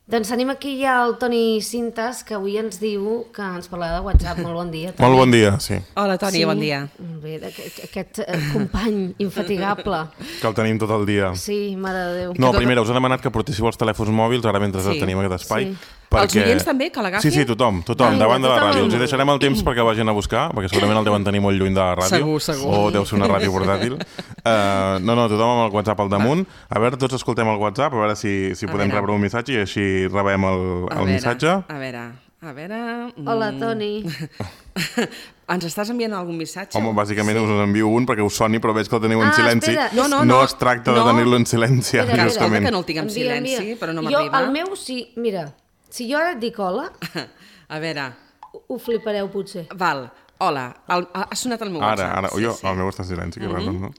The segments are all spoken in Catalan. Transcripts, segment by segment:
Doncs tenim aquí ja el Toni Cintas, que avui ens diu que ens parlarà de WhatsApp. Molt bon dia, Toni. Molt bon dia, sí. Hola, Toni, bon dia. Bé, aquest company infatigable. Que el tenim tot el dia. Sí, mare de Déu. No, primera, us he demanat que portéssiu els telèfons mòbils, ara mentre tenim aquest espai. Els oients també, que l'agafin? Sí, tothom, davant de la ràdio. Ens hi deixarem el temps perquè vagin a buscar, perquè segurament el deuen tenir molt lluny de la ràdio. Segur. O deu ser una ràdio portàtil. No, tothom amb el WhatsApp al damunt. A veure, tots escoltem el WhatsApp, a veure si podem rebre un missatge i així rebem el missatge. A veure... Hola, Toni. Ens estàs enviant algun missatge? Home, bàsicament us envio un perquè us soni, però veig que el teniu en silenci. No es tracta de tenir-lo en silenci, justament. Que no el tinc en silenci, però no m'arriba. Jo, el meu, sí, mira, si jo ara et dic hola... A veure... Ho flipareu, potser. Val, hola, ha sonat el meu WhatsApp. El meu està en silenci, que raro, no?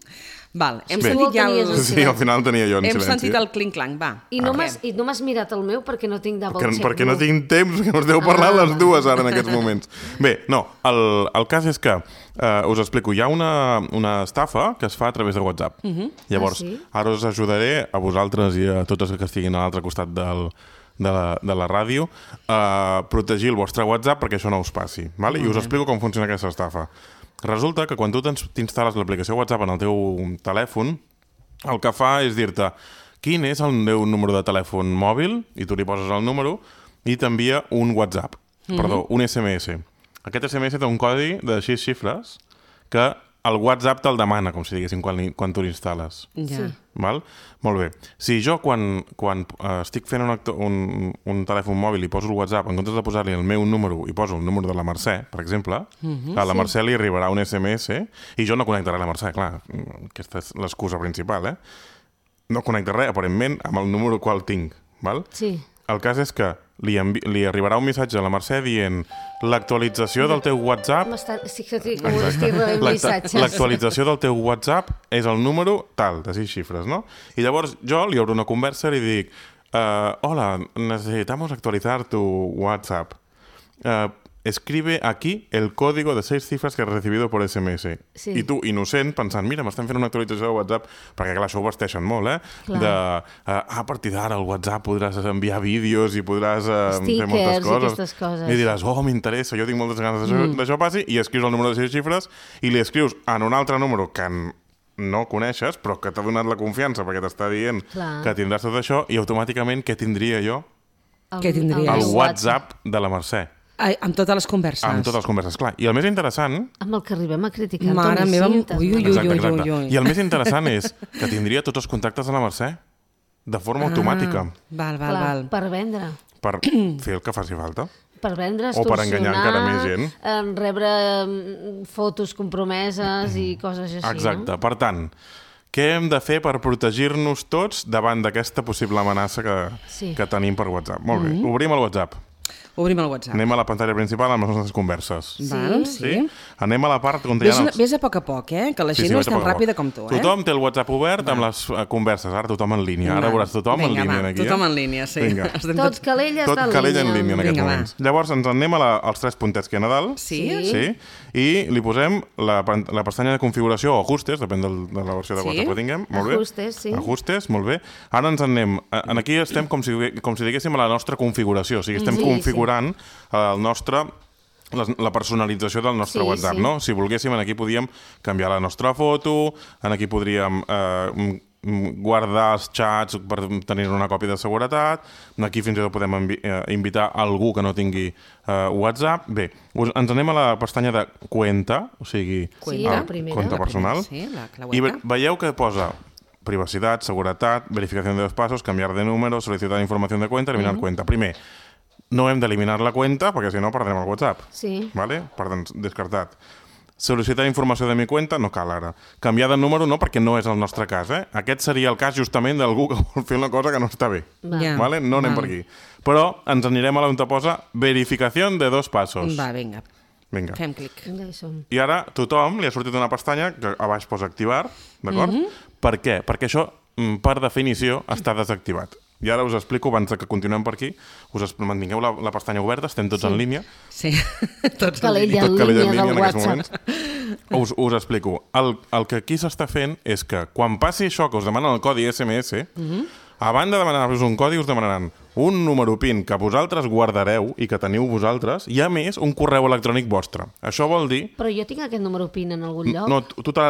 Val, hem sentit ja el... Sí, al final tenia jo en silenci. Hem sentit el clinc-clanc, va. I no m'has mirat el meu perquè no tinc double check. Perquè no tinc temps, que us deu parlar les dues ara en aquests moments. Bé, no, el cas és que us explico, hi ha una estafa que es fa a través de WhatsApp. Llavors, ara us ajudaré a vosaltres i a tots els que estiguin a l'altre costat de la ràdio a protegir el vostre WhatsApp perquè això no us passi. I us explico com funciona aquesta estafa. Resulta que quan tu t'instal·les l'aplicació WhatsApp en el teu telèfon, el que fa és dir-te quin és el teu número de telèfon mòbil, i tu li poses el número, i t'envia un WhatsApp, un SMS. Aquest SMS té un codi de 6 xifres que el WhatsApp te'l demana, com si diguéssim, quan tu l'instal·les. Ja. Val? Molt bé. Si jo, quan estic fent un telèfon mòbil i poso el WhatsApp, en comptes de posar-li el meu número i poso el número de la Mercè, per exemple, a la Mercè li arribarà un SMS i jo no connectaré la Mercè, clar, aquesta és l'excusa principal, No connectaré, aparentment, amb el número qual tinc, val? Sí. El cas és que li arribarà un missatge a la Mercè dient l'actualització del teu WhatsApp... Sí que estic rebent missatges. L'actualització del teu WhatsApp és el número tal, de 6 xifres, no? I llavors jo li obro una conversa i li dic hola, necesitamos actualizar tu WhatsApp. Escribe aquí el código de 6 cifras que has recibido por SMS. Sí. I tu, innocent, pensant, mira, m'estan fent una actualització de WhatsApp, perquè clar, això ho vesteixen molt, a partir d'ara al WhatsApp podràs enviar vídeos i podràs fer moltes coses. I aquestes coses. I diràs, m'interessa, jo tinc moltes ganes d'això passi, i escrius el número de 6 xifres i li escrius en un altre número que no coneixes, però que t'ha donat la confiança perquè t'està dient que tindràs tot això, i automàticament què tindria jo? Què tindries? El WhatsApp de la Mercè. Amb totes les converses. Amb totes les converses, clar. I el més interessant... Amb el que arribem a criticar. Mare meva, exacte. I el més interessant és que tindria tots els contactes de la Mercè de forma automàtica. Val. Per vendre. Per fer el que faci falta. Per vendre, extorsionar... O per enganyar encara més gent. Rebre fotos compromeses i coses així, exacte. No? Per tant, què hem de fer per protegir-nos tots davant d'aquesta possible amenaça que tenim per WhatsApp? Molt bé, obrim el WhatsApp. Obrim el WhatsApp. Anem a la pantalla principal amb les nostres converses. Sí. Anem a la part on hi ha... Ves a poc a poc, que la gent no és tan ràpida com tu. Tothom té el WhatsApp obert amb les converses. Ara tothom en línia. Ara veuràs tothom en línia aquí. Tothom en línia, sí. Tot calella està en línia. Tot calella en línia en aquests moments. Llavors ens anem als 3 puntets que hi ha a dalt. Sí. I li posem la pestanya de configuració o ajustes, depèn de la versió de WhatsApp que tinguem. Molt bé. Ajustes, sí. Ajustes, molt bé. Ara ens anem... Aquí estem com si diguéssim a la nostra configuració. O sigui, estem configurant la personalització del nostre WhatsApp, no? Si volguéssim, aquí podíem canviar la nostra foto, aquí podríem guardar els xats per tenir una còpia de seguretat, aquí fins i tot podem invitar algú que no tingui WhatsApp. Bé, ens anem a la pestanya de Cuenta, o sigui, compte personal, i veieu que posa privacitat, seguretat, verificació de 2 passos, canviar de número, sol·licitar informació de cuenta, eliminar cuenta. Primer, no hem d'eliminar la cuenta perquè si no perdrem el WhatsApp. Sí. Vale? Per tant, descartat. Sol·licitar informació de mi cuenta, no cal ara. Canviar de número no, perquè no és el nostre cas. Aquest seria el cas justament d'algú que vol fer una cosa que no està bé. Vale? No anem per aquí. Però ens anirem a on posa verificació de 2 passos. Va, vinga. Fem clic. I ara tothom li ha sortit una pestanya que a baix posa activar, d'acord? Per què? Perquè això, per definició, està desactivat. I ara us explico, abans que continuem per aquí, mantingueu la pestanya oberta, estem tots en línia. Sí, tots en línia del WhatsApp. Us explico. El que aquí s'està fent és que quan passi això, que us demanen el codi SMS, A banda de demanar-vos un codi, us demanaran un número PIN que vosaltres guardareu i que teniu vosaltres, i a més un correu electrònic vostre. Això vol dir... Però jo tinc aquest número PIN en algun lloc? No,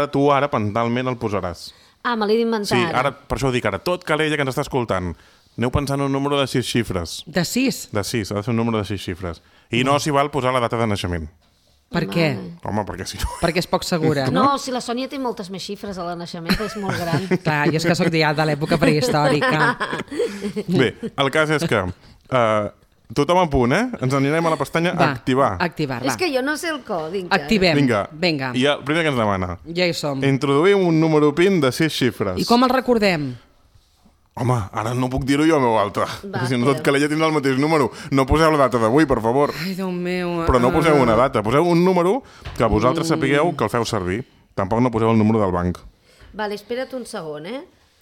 tu ara mentalment el posaràs. Ah, me l'he d'inventar. Sí, ara, per això ho dic ara. Tot Calella que ens està escoltant, aneu pensant en un número de 6 xifres. De 6? De 6, ha de ser un número de 6 xifres. I no s'hi val posar la data de naixement. Per què? Home, perquè si no... Perquè és poc segura, no? No, si la Sònia té moltes més xifres a la naixement, és molt gran. Clar, jo és que soc ja de l'època prehistòrica. Bé, el cas és que tothom a punt, Ens anirem a la pestanya Activar. Activar, va. És que jo no sé el codi. Activem. Vinga. I el primer que ens demana. Ja hi som. Introduïm un número PIN de 6 xifres. I com el recordem? Home, ara no puc dir-ho jo a veu alta. Perquè si no tot Calella tindrà el mateix número. No poseu la data d'avui, per favor. Ai, Déu meu. Però no poseu una data. Poseu un número que vosaltres sapigueu que el feu servir. Tampoc no poseu el número del banc. Vale, espera't un segon,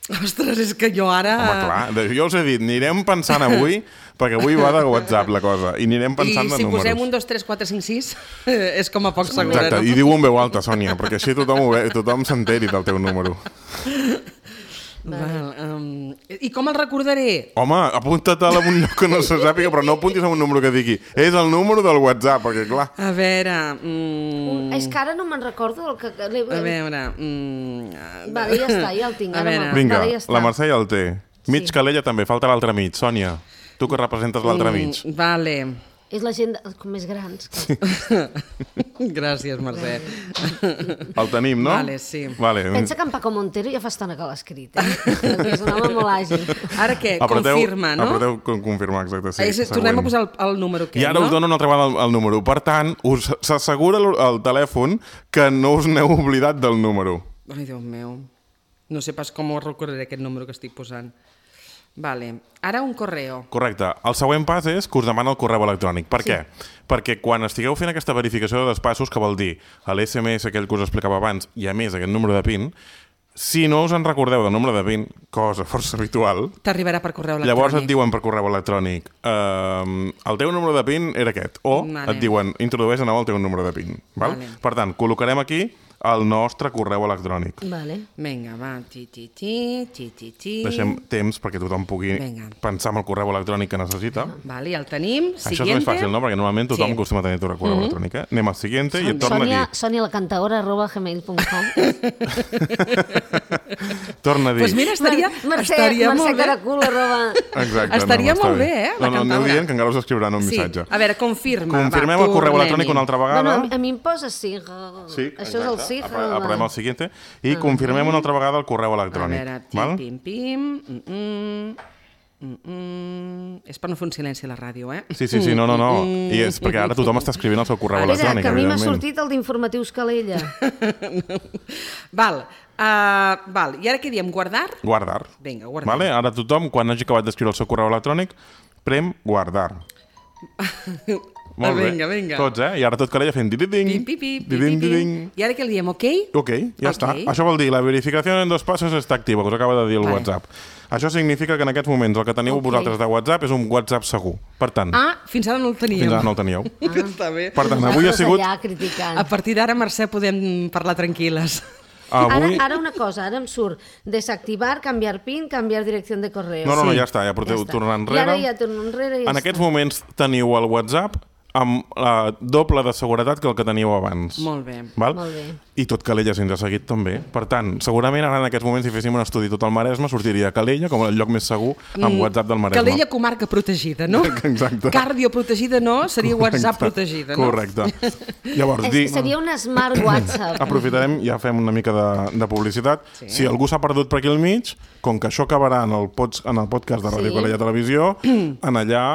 Ostres, és que jo ara... Home, clar, jo us he dit, anirem pensant avui, perquè avui va de WhatsApp la cosa, i anirem pensant de números. I si posem 1, 2, 3, 4, 5, 6, és com a poc segura, Exacte, no? i diu en veu alta, Sònia, perquè així tothom s'enteri del teu número. I com el recordaré? Home, apunta-te'l a un lloc que no se sàpiga, però no apuntis a un número que digui és el número del WhatsApp, perquè clar... A veure... És que ara no me'n recordo el que... A veure... Vale, ja està, ja el tinc. Vinga, la Mercè ja el té. Mig Calella també, falta l'altre mig. Sònia, tu que representes l'altre mig. Vale. És la gent més grans. Gràcies, Mercè. El tenim, no? Vale, sí. Pensa que en Paco Montero ja fa estona que l'ha escrit, És un home molt àgil. Ara què? Confirma, no? Apreteu confirmar, exacte, sí. Tornem a posar el número que, I ara us dono una altra vegada el número. Per tant, s'assegura el telèfon que no us n'heu oblidat del número. Ai, Déu meu. No sé pas com recordaré aquest número que estic posant. Vale. Ara un correo. Correcte. El següent pas és que us demana el correu electrònic. Per què? Perquè quan estigueu fent aquesta verificació de despassos, que vol dir l'SMS aquell que us explicava abans i a més aquest número de PIN, si no us en recordeu del número de PIN, cosa força habitual, t'arribarà per correu electrònic. Llavors et diuen per correu electrònic el teu número de PIN era aquest, o et diuen introdueix de nou el teu número de PIN. Val? Per tant, col·locarem aquí el nostre correu electrònic. Vinga, va. Deixem temps perquè tothom pugui pensar en el correu electrònic que necessita. Vale, el tenim. Això és més fàcil, no? Perquè normalment tothom acostuma a tenir el correu electrònic. Anem al siguiente i et torna aquí. Sonialacantadora@gmail.com. Torna a dir. Doncs mira, estaria molt bé. Exacte. Estaria molt bé, la cantadora. No, aneu dient que encara us escriuran un missatge. A veure, confirma. Confirmem el correu electrònic una altra vegada. A mi em posa sí. Això és el sí. Apretem el siguiente i confirmem una altra vegada el correu electrònic. A veure, pim. És per no fer un silenci a la ràdio, Sí, no. I és perquè ara tothom està escrivint el seu correu electrònic. Que a mi m'ha sortit el d'Informatius Calella. Val. I ara què diem? Guardar? Guardar. Vinga, guardar. Ara tothom, quan hagi acabat d'escriure el seu correu electrònic, prem guardar. Molt bé. Vinga. Tots, I ara tot Calella fent dididing. I ara què li diem, ok? Ok, ja està. Això vol dir, la verificació en 2 passos està activa, que us acaba de dir el WhatsApp. Això significa que en aquests moments el que teniu vosaltres de WhatsApp és un WhatsApp segur. Per tant... Fins ara no el teníeu. Fins ara no el teníeu. Està bé. Per tant, avui ha sigut... A partir d'ara, Mercè, podem parlar tranquil·les. Ara una cosa, ara em surt desactivar, canviar PIN, canviar direcció de correu. No, ja està, ja porteu tornar enrere. I ara ja torno enrere i ja En aquests moments teniu el WhatsApp amb la doble de seguretat que el que teníeu abans. Molt bé. Molt bé. I tot Calella ens ha seguit també. Per tant, segurament ara en aquests moments, si féssim un estudi tot el Maresme, sortiria Calella com el lloc més segur amb WhatsApp del Maresme. Calella comarca protegida, no? Exacte. Cardio protegida no, seria WhatsApp protegida, no? Correcte. Llavors, seria un smart WhatsApp. Aprofitarem, ja fem una mica de publicitat. Si algú s'ha perdut per aquí al mig, com que això acabarà en el podcast de Ràdio Calella Televisió, en allà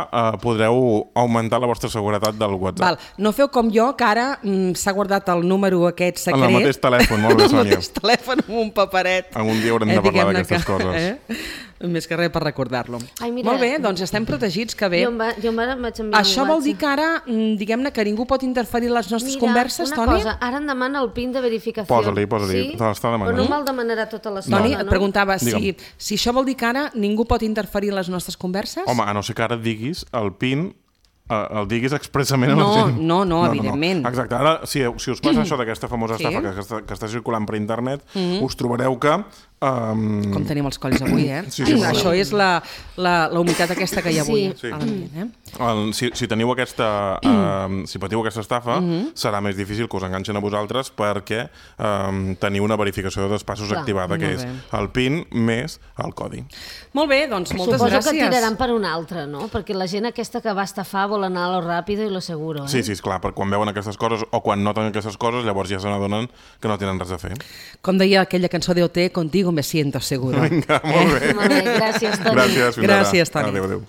podreu augmentar la vostra seguretat del WhatsApp. No feu com jo, que ara s'ha guardat el número aquest secret. En el mateix telèfon, molt bé, Sònia. En el mateix telèfon amb un paperet. Algun dia haurem de parlar d'aquestes coses. Més que res per recordar-lo. Molt bé, doncs estem protegits, que bé. Jo vaig enviar Això vol dir que ara, diguem-ne, que ningú pot interferir en les nostres converses, Toni? Mira, una cosa, ara em demana el PIN de verificació. Posa-li, te l'està demanant. Però no me'l demanarà tota l'estona, no? Toni, et preguntava si això vol dir que ara ningú pot interferir en les nostres converses? Home, a no ser que ara diguis el PIN el diguis expressament a la gent. No, evidentment. Exacte. Ara, si us passa això d'aquesta famosa estafa que està circulant per internet, us trobareu que Com tenim els colls avui, Sí. Això és la humitat aquesta que hi ha avui. Sí. A l'ambient, Si teniu si patiu aquesta estafa, serà més difícil que us enganxen a vosaltres perquè teniu una verificació de passos activada, que és el PIN més el codi. Molt bé, doncs moltes Suposo gràcies. que tiraran per un altre, no? Perquè la gent aquesta que va estafar vol anar a lo ràpido i lo seguro, Sí, esclar, perquè quan veuen aquestes coses o quan noten aquestes coses, llavors ja se n'adonen que no tenen res a fer. Com deia aquella cançó d'OT, contigo me siento seguro. Vinga, molt bé. Molt bé, gràcies, Toni. Gràcies, fins ara. Gràcies, Toni. Adéu.